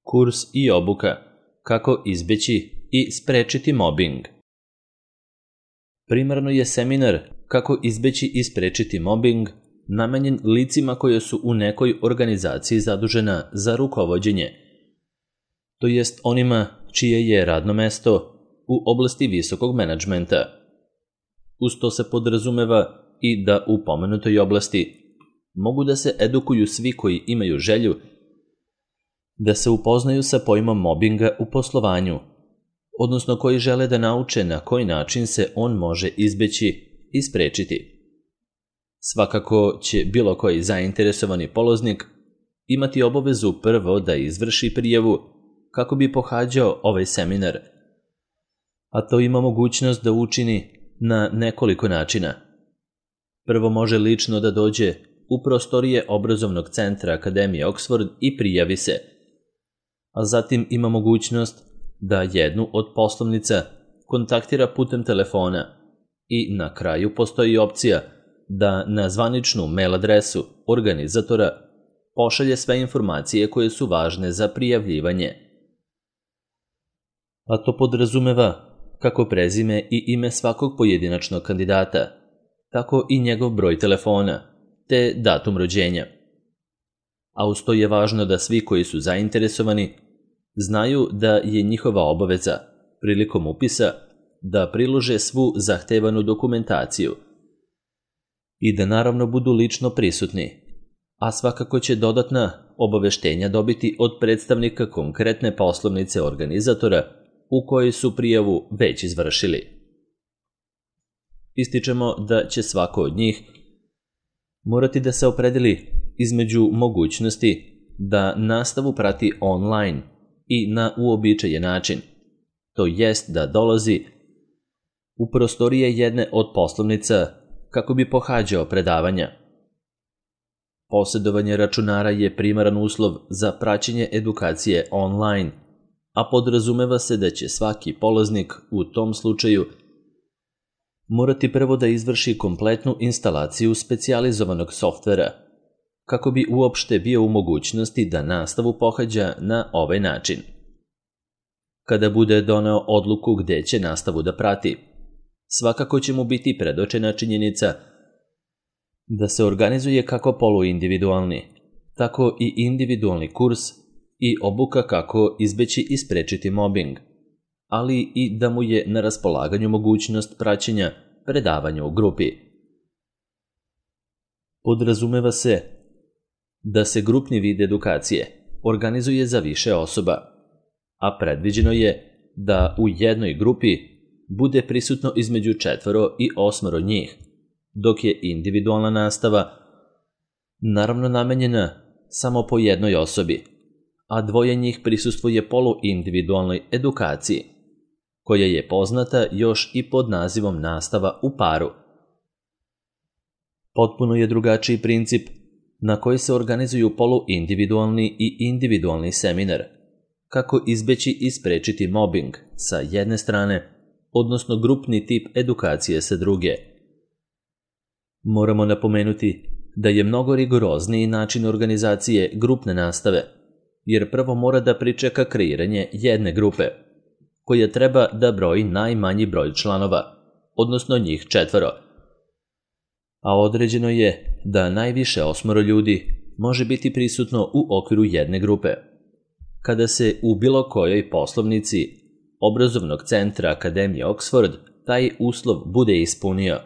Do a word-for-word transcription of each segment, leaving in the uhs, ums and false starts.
Kurs i obuka kako izbjeći i sprečiti mobbing. Primarno je seminar kako izbjeći i sprečiti mobbing namenjen licima koje su u nekoj organizaciji zadužena za rukovođenje, to jest onima čije je radno mesto u oblasti visokog menadžmenta. Uz to se podrazumeva i da u pomenutoj oblasti mogu da se edukuju svi koji imaju želju da se upoznaju sa pojmom mobinga u poslovanju, odnosno koji žele da nauče na koji način se on može izbjeći i sprečiti. Svakako će bilo koji zainteresovani polaznik imati obavezu prvo da izvrši prijavu kako bi pohađao ovaj seminar, a to ima mogućnost da učini na nekoliko načina. Prvo može lično da dođe u prostorije obrazovnog centra Akademije Oxford i prijavi se, a zatim ima mogućnost da jednu od poslovnica kontaktira putem telefona i na kraju postoji opcija da na zvaničnu mail adresu organizatora pošalje sve informacije koje su važne za prijavljivanje. A to podrazumeva kako prezime i ime svakog pojedinačnog kandidata, tako i njegov broj telefona, te datum rođenja. A uz to je važno da svi koji su zainteresovani znaju da je njihova obaveza prilikom upisa da prilože svu zahtevanu dokumentaciju i da naravno budu lično prisutni, a svakako će dodatna obaveštenja dobiti od predstavnika konkretne poslovnice organizatora u kojoj su prijavu već izvršili. Ističemo da će svako od njih morati da se opredeli između mogućnosti da nastavu prati online i na uobičajen način, to jest da dolazi u prostorije jedne od poslovnica kako bi pohađao predavanja. Posjedovanje računara je primaran uslov za praćenje edukacije online, a podrazumeva se da će svaki polaznik u tom slučaju morati prvo da izvrši kompletnu instalaciju specijalizovanog softvera, kako bi uopšte bio u mogućnosti da nastavu pohađa na ovaj način. Kada bude doneo odluku gde će nastavu da prati, svakako će mu biti predočena činjenica da se organizuje kako poluindividualni, tako i individualni kurs i obuka kako izbeći i sprečiti mobbing, ali i da mu je na raspolaganju mogućnost praćenja predavanja u grupi. Podrazumeva se da se grupni vid edukacije organizuje za više osoba, a predviđeno je da u jednoj grupi bude prisutno između četvoro i osmoro njih, dok je individualna nastava naravno namenjena samo po jednoj osobi, a dvoje njih prisustvuje poluindividualnoj edukaciji, koja je poznata još i pod nazivom nastava u paru. Potpuno je drugačiji princip na koji se organizuju poluindividualni i individualni seminar, kako izbeći i sprečiti mobbing sa jedne strane, odnosno grupni tip edukacije sa druge. Moramo napomenuti da je mnogo rigorozniji način organizacije grupne nastave, jer prvo mora da pričeka kreiranje jedne grupe, koja treba da broji najmanji broj članova, odnosno njih četvoro. A određeno je da najviše osmoro ljudi može biti prisutno u okviru jedne grupe. Kada se u bilo kojoj poslovnici obrazovnog centra Akademije Oxford taj uslov bude ispunio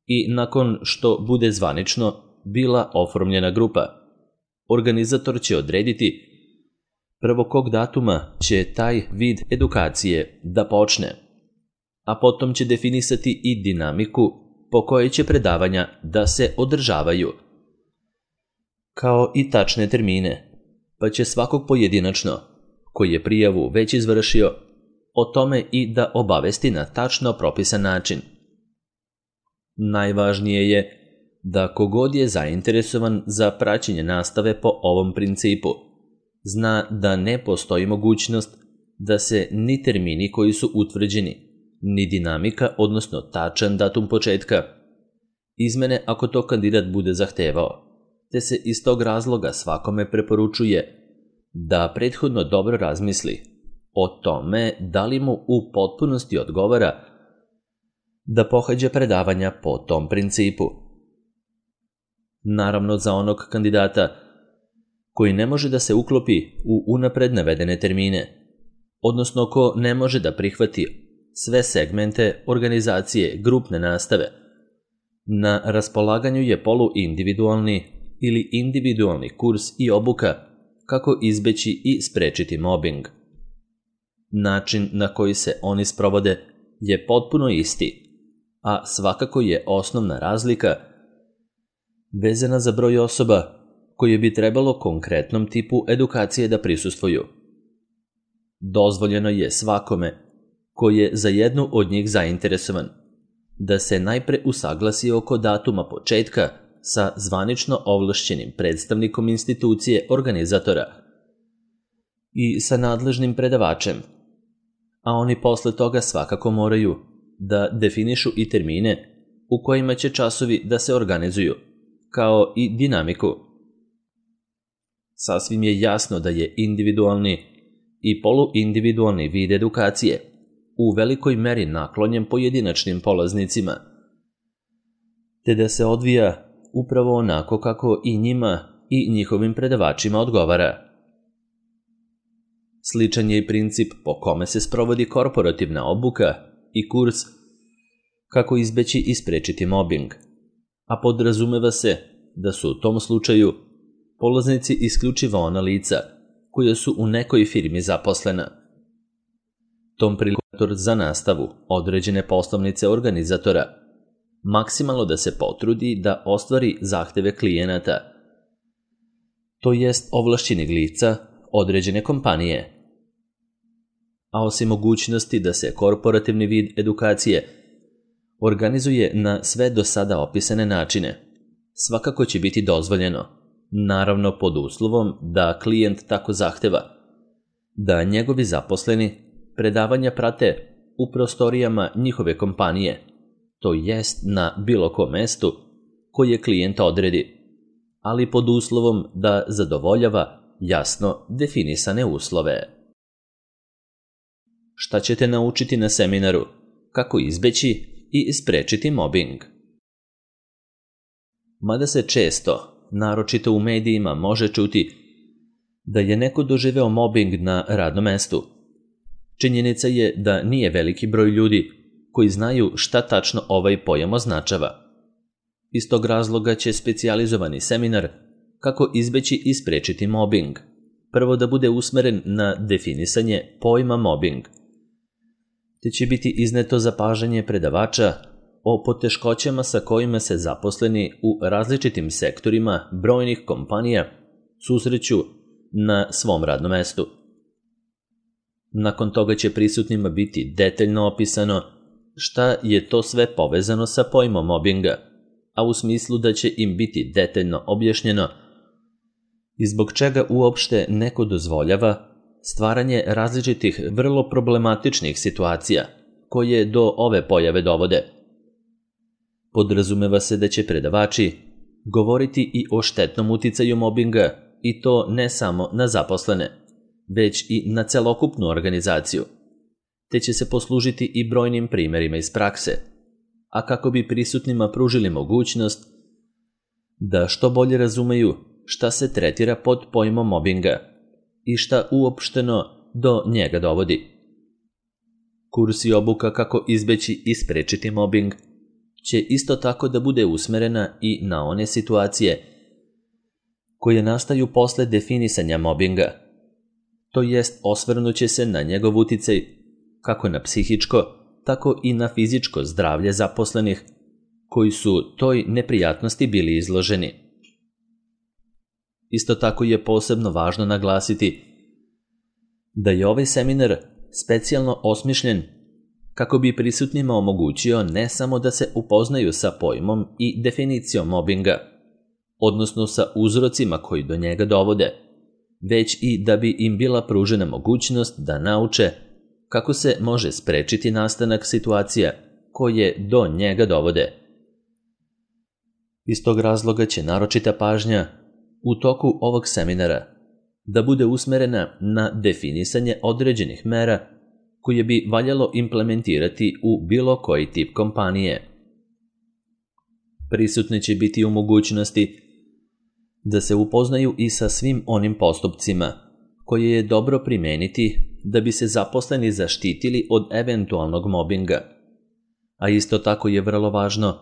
i nakon što bude zvanično bila oformljena grupa, organizator će odrediti prvo kog datuma će taj vid edukacije da počne, a potom će definisati i dinamiku po kojoj će predavanja da se održavaju, kao i tačne termine, pa će svakog pojedinačno, koji je prijavu već izvršio, o tome i da obavesti na tačno propisan način. Najvažnije je da kogod je zainteresovan za praćenje nastave po ovom principu, zna da ne postoji mogućnost da se ni termini koji su utvrđeni, ni dinamika, odnosno tačan datum početka, izmene ako to kandidat bude zahtevao, te se iz tog razloga svakome preporučuje da prethodno dobro razmisli o tome da li mu u potpunosti odgovara da pohađa predavanja po tom principu. Naravno, za onog kandidata koji ne može da se uklopi u unapred navedene termine, odnosno ko ne može da prihvati sve segmente organizacije grupne nastave, na raspolaganju je poluindividualni ili individualni kurs i obuka kako izbeći i sprečiti mobing. Način na koji se oni sprovode je potpuno isti, a svakako je osnovna razlika vezana za broj osoba koje bi trebalo konkretnom tipu edukacije da prisustvuju. Dozvoljeno je svakome koji je za jednu od njih zainteresovan da se najpre usaglasi oko datuma početka sa zvanično ovlašćenim predstavnikom institucije organizatora i sa nadležnim predavačem, a oni posle toga svakako moraju da definišu i termine u kojima će časovi da se organizuju, kao i dinamiku. Sasvim je jasno da je individualni i poluindividualni vid edukacije u velikoj meri naklonjen pojedinačnim polaznicima, te da se odvija upravo onako kako i njima i njihovim predavačima odgovara. Sličan je i princip po kome se sprovodi korporativna obuka i kurs kako izbeći i sprečiti mobing, a podrazumeva se da su u tom slučaju polaznici isključivo ona lica koja su u nekoj firmi zaposlena. Tom prilikom za nastavu određene poslovnice organizatora maksimalno da se potrudi da ostvari zahteve klijenata, to jest ovlašćenih lica određene kompanije. A osim mogućnosti da se korporativni vid edukacije organizuje na sve do sada opisane načine, svakako će biti dozvoljeno, naravno pod uslovom da klijent tako zahteva, da njegovi zaposleni predavanja prate u prostorijama njihove kompanije, to jest na bilo kom mestu koje klijent odredi, ali pod uslovom da zadovoljava jasno definisane uslove. Šta ćete naučiti na seminaru? Kako izbeći i sprečiti mobing? Mada se često, naročito u medijima, može čuti da je neko doživeo mobing na radnom mestu, činjenica je da nije veliki broj ljudi koji znaju šta tačno ovaj pojam označava. Iz tog razloga će specijalizovani seminar kako izbeći i sprečiti mobing prvo da bude usmeren na definisanje pojma mobing, te će biti izneto zapažanje predavača o poteškoćama sa kojima se zaposleni u različitim sektorima brojnih kompanija susreću na svom radnom mestu. Nakon toga će prisutnima biti detaljno opisano šta je to sve povezano sa pojmom mobinga, a u smislu da će im biti detaljno objašnjeno i zbog čega uopšte neko dozvoljava stvaranje različitih vrlo problematičnih situacija koje do ove pojave dovode. Podrazumeva se da će predavači govoriti i o štetnom uticaju mobinga, i to ne samo na zaposlene, već i na celokupnu organizaciju, te će se poslužiti i brojnim primerima iz prakse, a kako bi prisutnima pružili mogućnost da što bolje razumeju šta se tretira pod pojmom mobinga i šta uopšteno do njega dovodi. Kurs i obuka kako izbeći i sprečiti mobing će isto tako da bude usmerena i na one situacije koje nastaju posle definisanja mobinga, to jest osvrnuće se na njegov uticaj kako na psihičko, tako i na fizičko zdravlje zaposlenih koji su toj neprijatnosti bili izloženi. Isto tako je posebno važno naglasiti da je ovaj seminar specijalno osmišljen kako bi prisutnima omogućio ne samo da se upoznaju sa pojmom i definicijom mobinga, odnosno sa uzrocima koji do njega dovode, već i da bi im bila pružena mogućnost da nauče kako se može sprečiti nastanak situacija koje do njega dovode. Iz tog razloga će naročita pažnja u toku ovog seminara da bude usmerena na definisanje određenih mera koje bi valjalo implementirati u bilo koji tip kompanije. Prisutni će biti u mogućnosti da se upoznaju i sa svim onim postupcima koje je dobro primeniti da bi se zaposleni zaštitili od eventualnog mobinga. A isto tako je vrlo važno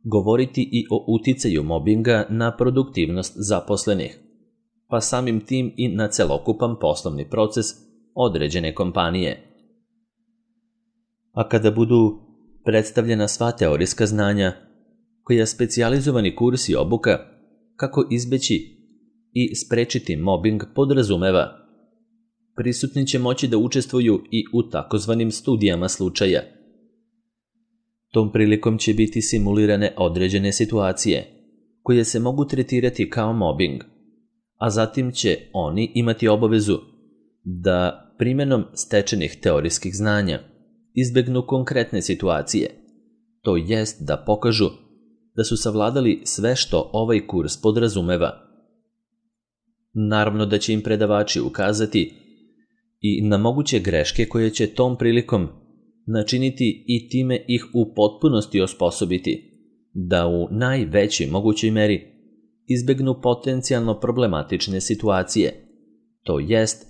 govoriti i o uticaju mobinga na produktivnost zaposlenih, pa samim tim i na celokupan poslovni proces određene kompanije. A kada budu predstavljena sva teorijska znanja, koja specijalizovani kurs i obuka kako izbeći i sprečiti mobing podrazumeva, prisutni će moći da učestvuju i u takozvanim studijama slučaja. Tom prilikom će biti simulirane određene situacije koje se mogu tretirati kao mobing, a zatim će oni imati obavezu da primjenom stečenih teorijskih znanja izbegnu konkretne situacije, to jest da pokažu da su savladali sve što ovaj kurs podrazumeva. Naravno da će im predavači ukazati i na moguće greške koje će tom prilikom načiniti i time ih u potpunosti osposobiti da u najvećoj mogućoj meri izbegnu potencijalno problematične situacije, to jest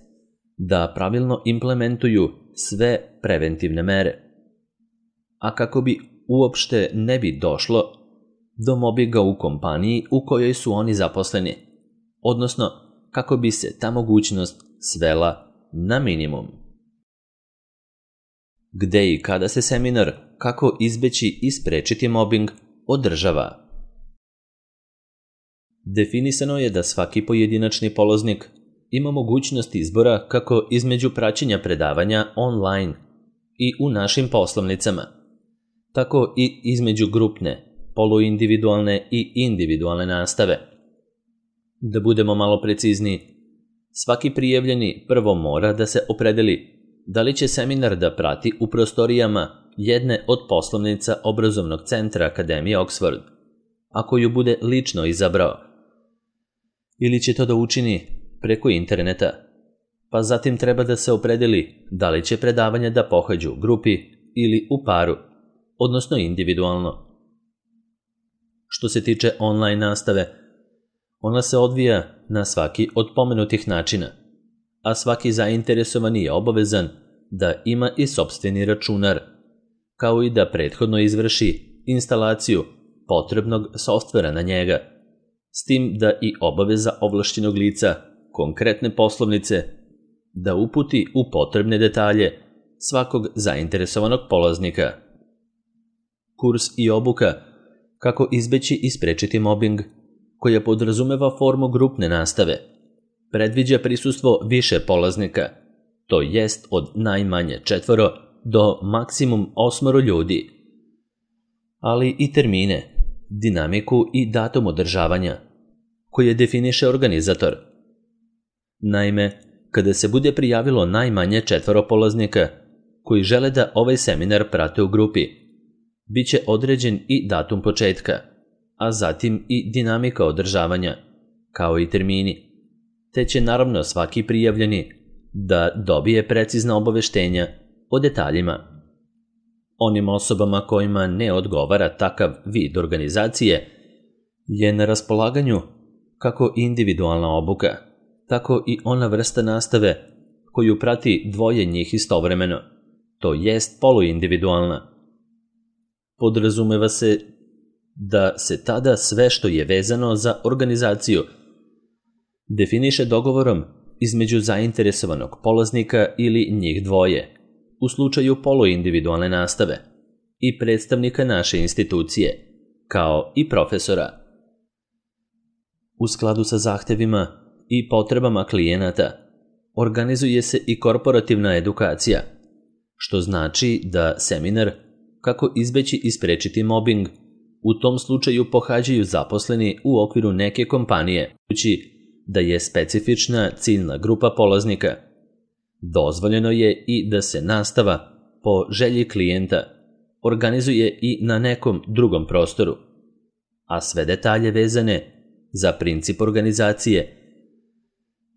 da pravilno implementuju sve preventivne mere. A kako bi uopšte ne bi došlo do mobinga u kompaniji u kojoj su oni zaposleni, odnosno kako bi se ta mogućnost svela na minimum. Gde i kada se seminar kako izbeći i sprečiti mobing održava? Definisano je da svaki pojedinačni polaznik ima mogućnost izbora kako između praćenja predavanja online i u našim poslovnicama, tako i između grupne, poluindividualne i individualne nastave. Da budemo malo precizniji, svaki prijavljeni prvo mora da se opredeli da li će seminar da prati u prostorijama jedne od poslovnica obrazovnog centra Akademije Oxford, ako ju bude lično izabrao, ili će to da učini preko interneta, pa zatim treba da se opredeli da li će predavanja da pohađu u grupi ili u paru, odnosno individualno. Što se tiče online nastave, ona se odvija na svaki od pomenutih načina, a svaki zainteresovani je obavezan da ima i sopstveni računar, kao i da prethodno izvrši instalaciju potrebnog softvera na njega, s tim da i obaveza ovlašćenog lica konkretne poslovnice da uputi u potrebne detalje svakog zainteresovanog polaznika. Kurs i obuka kako izbeći i sprečiti mobing, koja podrazumeva formu grupne nastave, predviđa prisustvo više polaznika, to jest od najmanje četvoro do maksimum osmoro ljudi, ali i termine, dinamiku i datum održavanja, koje definiše organizator. Naime, kada se bude prijavilo najmanje četvoro polaznika koji žele da ovaj seminar prate u grupi, bit će određen i datum početka, a zatim i dinamika održavanja, kao i termini, te će naravno svaki prijavljeni da dobije precizna obaveštenja o detaljima. Onim osobama kojima ne odgovara takav vid organizacije je na raspolaganju kako individualna obuka, tako i ona vrsta nastave koju prati dvoje njih istovremeno, to jest poluindividualna. Podrazumeva se da se tada sve što je vezano za organizaciju definiše dogovorom između zainteresovanog polaznika ili njih dvoje, u slučaju poluindividualne nastave, i predstavnika naše institucije, kao i profesora. U skladu sa zahtevima i potrebama klijenata organizuje se i korporativna edukacija, što znači da seminar kako izbeći i sprečiti mobing u tom slučaju pohađaju zaposleni u okviru neke kompanije, budući da je specifična ciljna grupa polaznika. Dozvoljeno je i da se nastava po želji klijenta organizuje i na nekom drugom prostoru, a sve detalje vezane za princip organizacije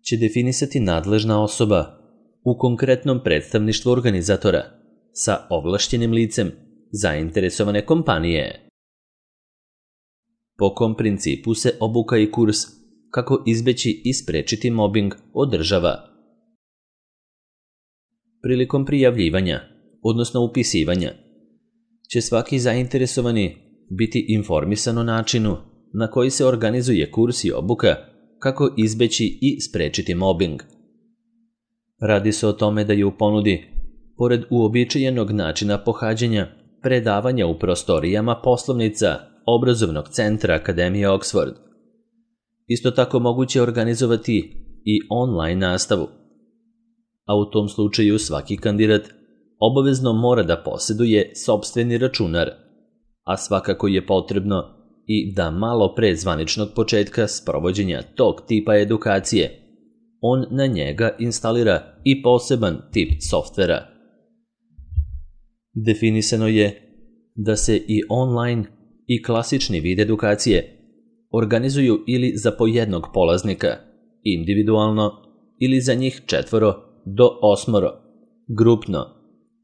će definisati nadležna osoba u konkretnom predstavništvu organizatora sa ovlašćenim licem zainteresovane kompanije. Po kom principu se obuka i kurs kako izbeći i sprečiti mobing održava? Prilikom prijavljivanja, odnosno upisivanja, će svaki zainteresovani biti informisan o načinu na koji se organizuje kurs i obuka kako izbeći i sprečiti mobing. Radi se o tome da je u ponudi, pored uobičajenog načina pohađanja, predavanja u prostorijama poslovnica obrazovnog centra Akademije Oxford. Isto tako moguće organizovati i online nastavu, a u tom slučaju svaki kandidat obavezno mora da posjeduje sopstveni računar, a svakako je potrebno i da malo pre zvaničnog početka sprovođenja tog tipa edukacije on na njega instalira i poseban tip softvera. Definisano je da se i online i klasični vid edukacije organizuju ili za po jednog polaznika, individualno, ili za njih četvoro do osmoro, grupno,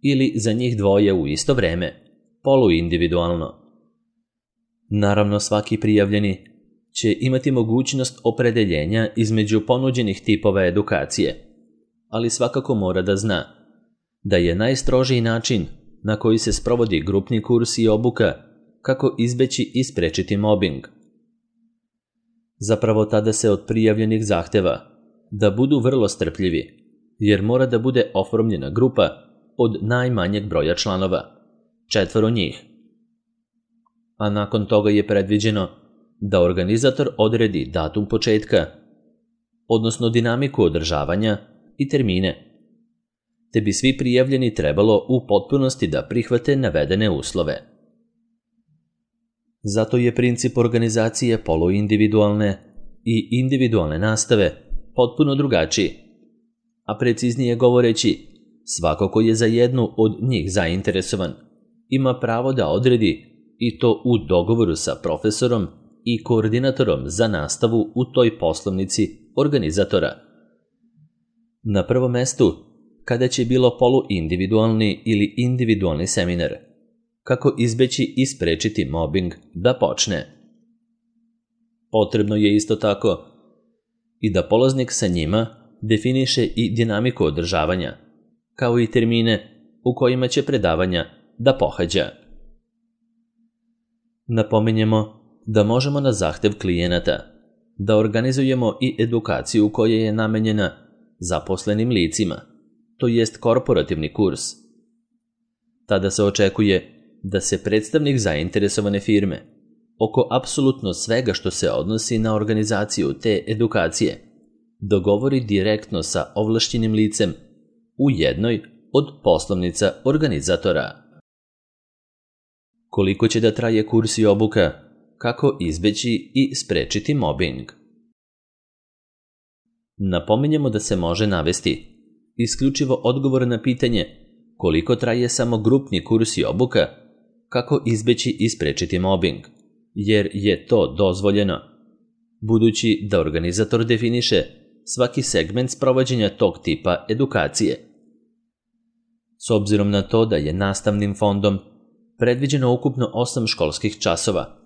ili za njih dvoje u isto vreme, poluindividualno. Naravno, svaki prijavljeni će imati mogućnost opredeljenja između ponuđenih tipova edukacije, ali svakako mora da zna da je najstrožiji način na koji se sprovodi grupni kurs i obuka kako izbeći i sprečiti mobing. Zapravo tada se od prijavljenih zahteva da budu vrlo strpljivi, jer mora da bude oformljena grupa od najmanjeg broja članova, četvoro njih. A nakon toga je predviđeno da organizator odredi datum početka, odnosno dinamiku održavanja i termine, te bi svi prijavljeni trebalo u potpunosti da prihvate navedene uslove. Zato je princip organizacije poluindividualne i individualne nastave potpuno drugačiji, a preciznije govoreći, svako ko je za jednu od njih zainteresovan ima pravo da odredi i to u dogovoru sa profesorom i koordinatorom za nastavu u toj poslovnici organizatora. Na prvom mestu, kada će bilo poluindividualni ili individualni seminar, kako izbeći i sprečiti mobing da počne. Potrebno je isto tako i da polaznik sa njima definiše i dinamiku održavanja, kao i termine u kojima će predavanja da pohađa. Napominjemo da možemo na zahtev klijenata da organizujemo i edukaciju koja je namenjena zaposlenim licima, to jest korporativni kurs. Tada se očekuje da se predstavnik zainteresovane firme oko apsolutno svega što se odnosi na organizaciju te edukacije dogovori direktno sa ovlašćenim licem u jednoj od poslovnica organizatora. Koliko će da traje kurs i obuka, kako izbeći i sprečiti mobing? Napominjemo da se može navesti isključivo odgovor na pitanje koliko traje samo grupni kurs i obuka, kako izbeći i sprečiti mobing, jer je to dozvoljeno, budući da organizator definiše svaki segment sprovođenja tog tipa edukacije. S obzirom na to da je nastavnim fondom predviđeno ukupno osam školskih časova,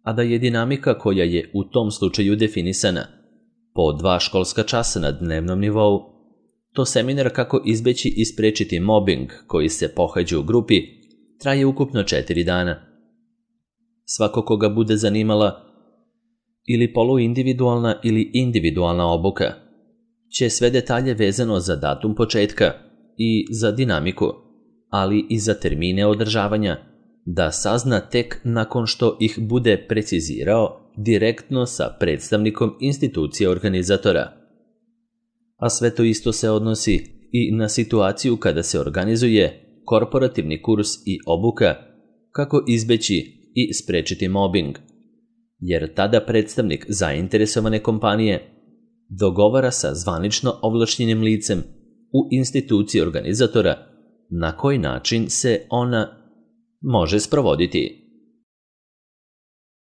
a da je dinamika koja je u tom slučaju definisana po dva školska časa na dnevnom nivou, to seminar kako izbeći i sprečiti mobing koji se pohađa u grupi traje ukupno četiri dana. Svako koga bude zanimala ili poluindividualna ili individualna obuka će sve detalje vezano za datum početka i za dinamiku, ali i za termine održavanja, da sazna tek nakon što ih bude precizirao direktno sa predstavnikom institucije organizatora. A sve to isto se odnosi i na situaciju kada se organizuje korporativni kurs i obuka kako izbeći i sprečiti mobing, jer tada predstavnik zainteresovane kompanije dogovara sa zvanično ovlašćenim licem u instituciji organizatora na koji način se ona može sprovoditi.